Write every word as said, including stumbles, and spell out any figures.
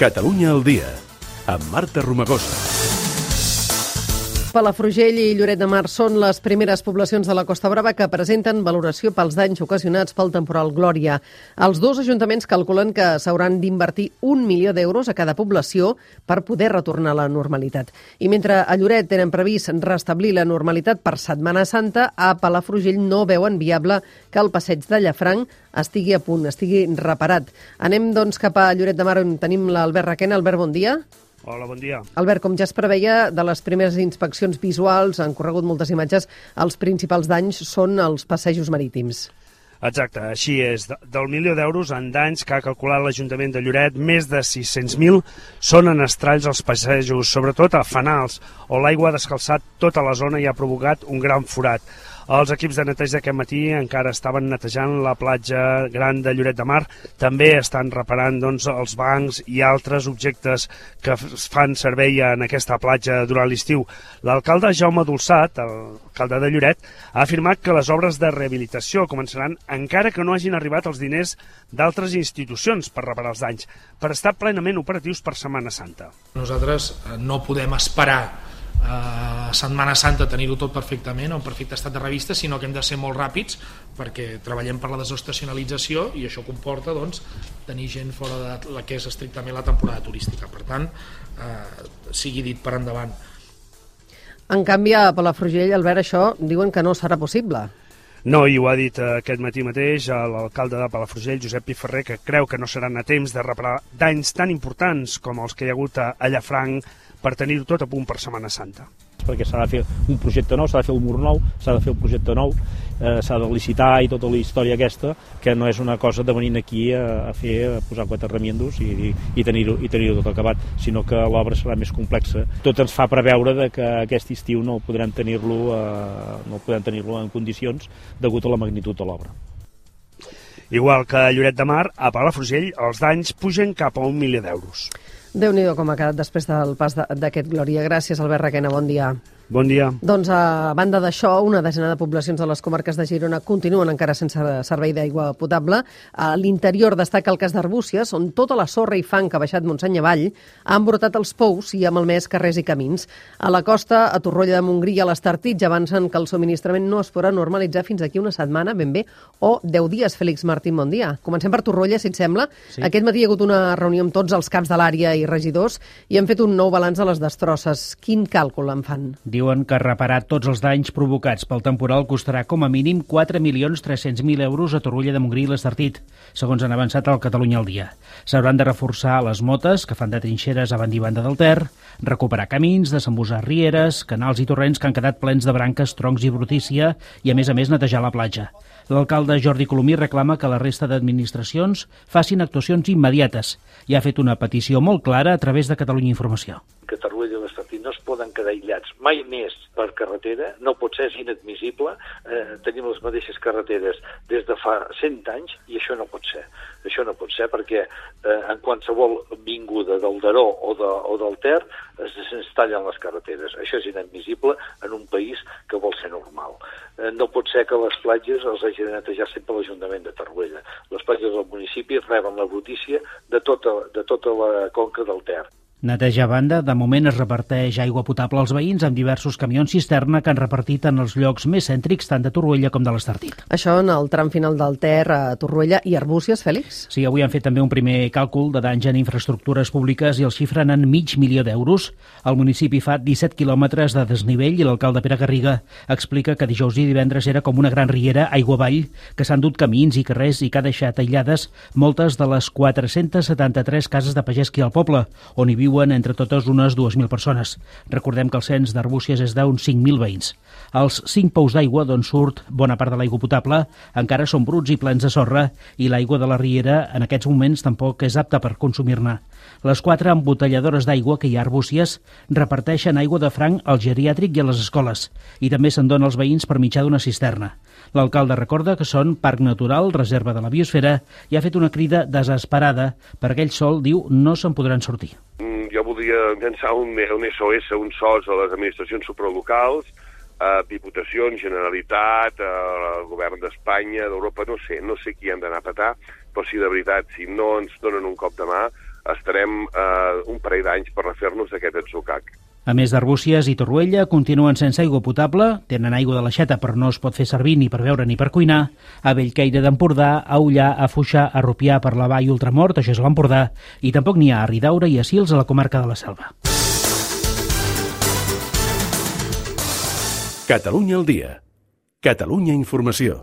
Catalunya al dia, amb Marta Romagosa. Palafrugell i Lloret de Mar són les primeres poblacions de la Costa Brava que presenten valoració pels danys ocasionats pel temporal Glòria. Els dos ajuntaments calculen que s'hauran d'invertir un milió d'euros a cada població per poder retornar a la normalitat. I mentre a Lloret tenen previst restablir la normalitat per Setmana Santa, a Palafrugell no veuen viable que el passeig de Llafranc estigui a punt, estigui reparat. Anem doncs cap a Lloret de Mar, on tenim l'Albert Requena. Albert, bon dia. Hola, bon dia. Albert, com ja es preveia, de les primeres inspeccions visuals, han corregut moltes imatges, els principals danys són els passejos marítims. Exacte, així és. Del milió d'euros en danys que ha calculat l'Ajuntament de Lloret, més de sis-cents mil són en estralls als passejos, sobretot a fanals, on l'aigua ha descalçat tota la zona i ha provocat un gran forat. Els equips de neteja d'aquest matí encara estaven netejant la platja gran de Lloret de Mar. També estan reparant doncs, els bancs i altres objectes que fan servei en aquesta platja durant l'estiu. L'alcalde Jaume Dolçat, l'alcalde de Lloret, ha afirmat que les obres de rehabilitació començaran encara que no hagin arribat els diners d'altres institucions per reparar els danys, per estar plenament operatius per Setmana Santa. Nosaltres no podem esperar a Setmana Santa tenir-ho tot perfectament o en perfecte estat de revista, sinó que hem de ser molt ràpids perquè treballem per la desestacionalització i això comporta doncs, tenir gent fora de la que és estrictament la temporada turística. Per tant, eh, sigui dit per endavant. En canvi, a Palafrugell, Albert, això diuen que no serà possible. No, i ho ha dit aquest matí mateix l'alcalde de Palafrugell, Josep Piferrer, que creu que no seran a temps de reparar danys tan importants com els que hi ha hagut a Llafranc per tenir-ho tot a punt per Setmana Santa. Perquè s'ha de fer un projecte nou, s'ha de fer un mur nou, s'ha de fer un projecte nou, eh, s'ha de licitar i tota la història aquesta, que no és una cosa de venir aquí a, a fer, a posar quatre remiendos i, i tenir-ho i tenir-ho tot acabat, sinó que l'obra serà més complexa. Tot ens fa preveure de que aquest estiu no podrem tenir-lo eh, no podrem tenir-lo en condicions degut a la magnitud de l'obra. Igual que a Lloret de Mar, a Palafrugell els danys pugen cap a un milió d'euros. Déu-n'hi-do com ha quedat després del pas d'aquest Glòria. Gràcies, Albert Requena, bon dia. Bon dia. Doncs a banda d'això, una desena de poblacions de les comarques de Girona continuen encara sense servei d'aigua potable. A l'interior destaca el cas d'Arbúcies, on tota la sorra i fang que ha baixat Montseny avall ha embrutat els pous i ha malmès carrers i camins. A la costa, a Torroella de Montgrí i a l'Estartit ja avancen que el subministrament no es podrà normalitzar fins d'aquí una setmana, ben bé, o deu dies. Fèlix Martín, bon dia. Comencem per Torroella, si et sembla. Sí. Aquest matí hi ha hagut una reunió amb tots els caps de l'àrea i regidors i han fet un nou balanç de les destrosses. Quin càlcul en fan? Diuen que reparar tots els danys provocats pel temporal costarà com a mínim quatre milions tres-cents mil euros a Torroella de Montgrí i l'Estartit, segons han avançat al Catalunya al dia. S'hauran de reforçar les motes, que fan de trinxeres a banda i banda del Ter, recuperar camins, desembussar rieres, canals i torrents que han quedat plens de branques, troncs i brutícia i, a més a més, netejar la platja. L'alcalde Jordi Colomí reclama que la resta d'administracions facin actuacions immediates i ha fet una petició molt clara a través de Catalunya Informació. Que Torroella i l'Estartit no es poden quedar aïllats mai més per carretera, no pot ser, és inadmissible. Eh, tenim les mateixes carreteres des de fa cent anys i això no pot ser. Això no pot ser perquè eh, en qualsevol vinguda del Daró o, de, o del Ter se'ns tallen les carreteres. Això és inadmissible en un país que vol ser normal. Eh, no pot ser que les platges els hagi de netejar sempre l'Ajuntament de Torroella. Les platges del municipi reben la brutícia de tota, de tota la conca del Ter. Neteja a banda, de moment es reparteix aigua potable als veïns amb diversos camions cisterna que han repartit en els llocs més cèntrics tant de Torroella com de l'Estartit. Això en el tram final del Ter a Torroella i Arbúcies, Fèlix? Sí, avui han fet també un primer càlcul de danys en infraestructures públiques i el xifren en mig milió d'euros. El municipi fa disset quilòmetres de desnivell i l'alcalde Pere Garriga explica que dijous i divendres era com una gran riera aigua avall que s'han dut camins i carrers i que ha deixat aïllades moltes de les quatre-cents setanta-tres cases de pagès que hi ha al poble, on hi viu entre totes unes dues mil persones. Recordem que el cens d'Arbúcies és d'uns cinc mil veïns. Els cinc pous d'aigua d'on surt bona part de l'aigua potable encara són bruts i plens de sorra i l'aigua de la riera en aquests moments tampoc és apta per consumir-ne. Les quatre embotelladores d'aigua que hi ha a Arbúcies reparteixen aigua de franc al geriàtric i a les escoles i també se'n dona als veïns per mitjà d'una cisterna. L'alcalde recorda que són parc natural, reserva de la biosfera i ha fet una crida desesperada perquè ell sol, diu, no se'n podran sortir. Jo voldria llançar un, un S O S, un S O S a les administracions supralocals, a Diputacions, Generalitat, al govern d'Espanya, d'Europa, no sé, no sé qui han d'anar a petar, però si de veritat, si no ens donen un cop de mà, estarem eh, un parell d'anys per refer-nos d'aquest atzucac. A més d'Arbúcies i Torroella, continuen sense aigua potable, tenen aigua de l'aixeta però no es pot fer servir ni per beure ni per cuinar, a Bellcaire d'Empordà, a Ullà, a Foixà, a Rupià, per la Vall Ultramort, això és l'Empordà, i tampoc n'hi ha a Ridaura i a Sils, a la comarca de la Selva. Catalunya al dia. Catalunya Informació.